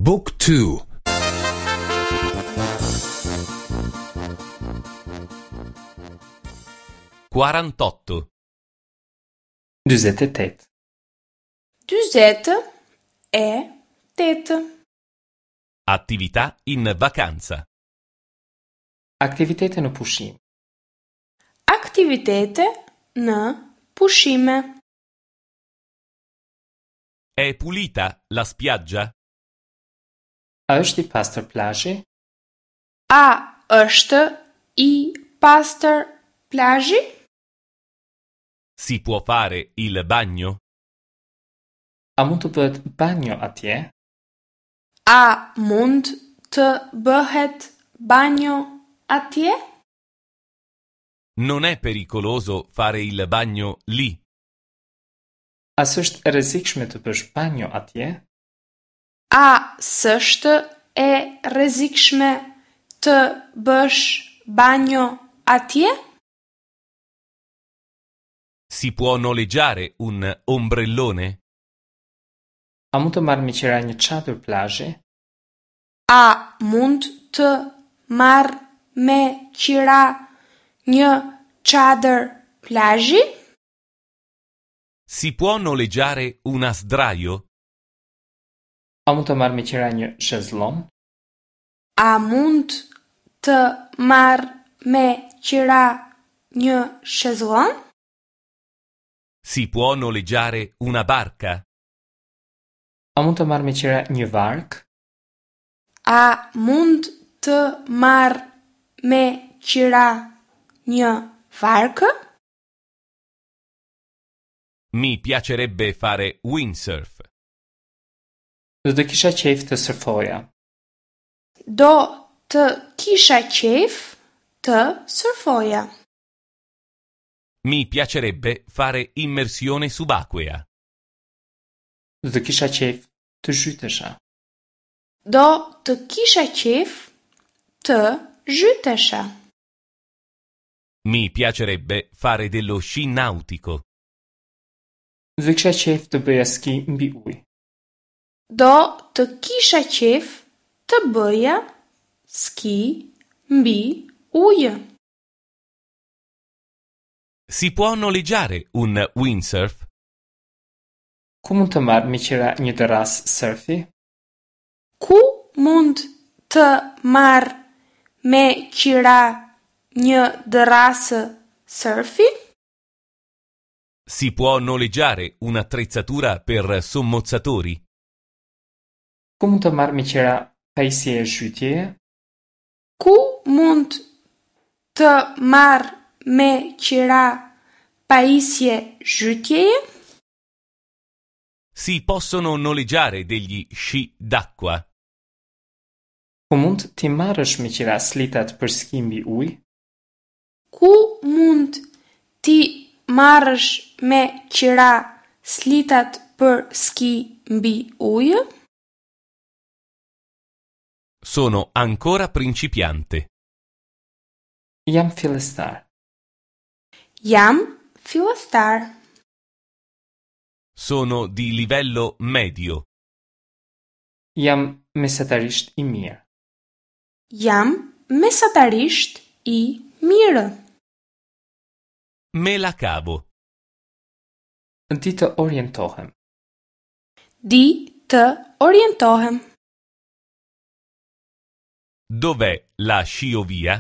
บุ๊กทู 48. 48. 48. Attività in vacanza. Aktivitete në pushim. Aktivitete në pushime. È pulita la spiaggia? A është i pastër plazhi? A është i pastër plazhi? Si può fare il bagno? A mund të bëhet banjo atje? A mund të bëhet banjo atje? Non è pericoloso fare il bagno lì. A s'është e rrezikshme të bësh banjo atje? A s'është e rrezikshme të bësh banjo atje? Si può noleggiare un ombrellone? A mund të marr me qira një çadër plazhi? A mund të marr me qira një çadër plazhi? Si può noleggiare una sdraio? A mund të marr me qira një shezlon? A mund të marr me qira një shezlon? Si può noleggiare una barca? A mund të marr me qira një varkë? A mund të marr me qira një varkë? Mi piacerebbe fare windsurf. Do të kisha qejf të sërfoja. Do të kisha qejf të sërfoja. Mi piacerebbe fare immersione subacquea. Do të kisha qejf të zhytesha. Do të kisha qejf të zhytesha. Mi piacerebbe fare dello sci nautico. Do të kisha qejf të bëja ski mbi ujë. Do të kisha qejf të bëja ski mbi ujë. Si può noleggiare un windsurf? Ku mund të marr me qira një dërrasë sërfi? Ku mund të marr me qira një dërrasë sërfi? Si può noleggiare un'attrezzatura per sommozzatori? Ku mund të marr me qira pajisje zhytjeje? Ku mund të marr me qira pajisje zhytjeje? Si possono noleggiare degli sci d'acqua? Ku mund t'i marrësh me qira slitat për ski mbi ujë? Ku mund t'i marrësh me qira slitat për ski mbi ujë? Sono ancora principiante. Jam fillestar. Jam fillestar. Sono di livello medio. Jam mesatarisht i mirë. Jam mesatarisht i mirë. Me la cavo. Di të orientohem. Di të orientohem. Dov'è la sciovia?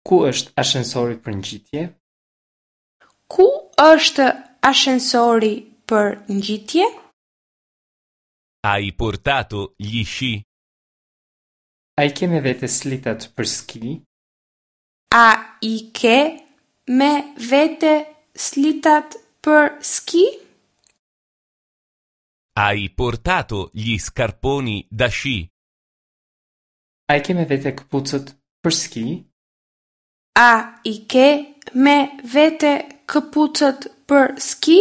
Ku është ashensori për ngjitje? Ku është ashensori për ngjitje? Hai portato gli sci? A i ke me vete slitat për ski? A i ke me vete slitat për ski? Hai portato gli scarponi da sci? A i ke me vete këpucët për ski? A i ke me vete këpucët për ski?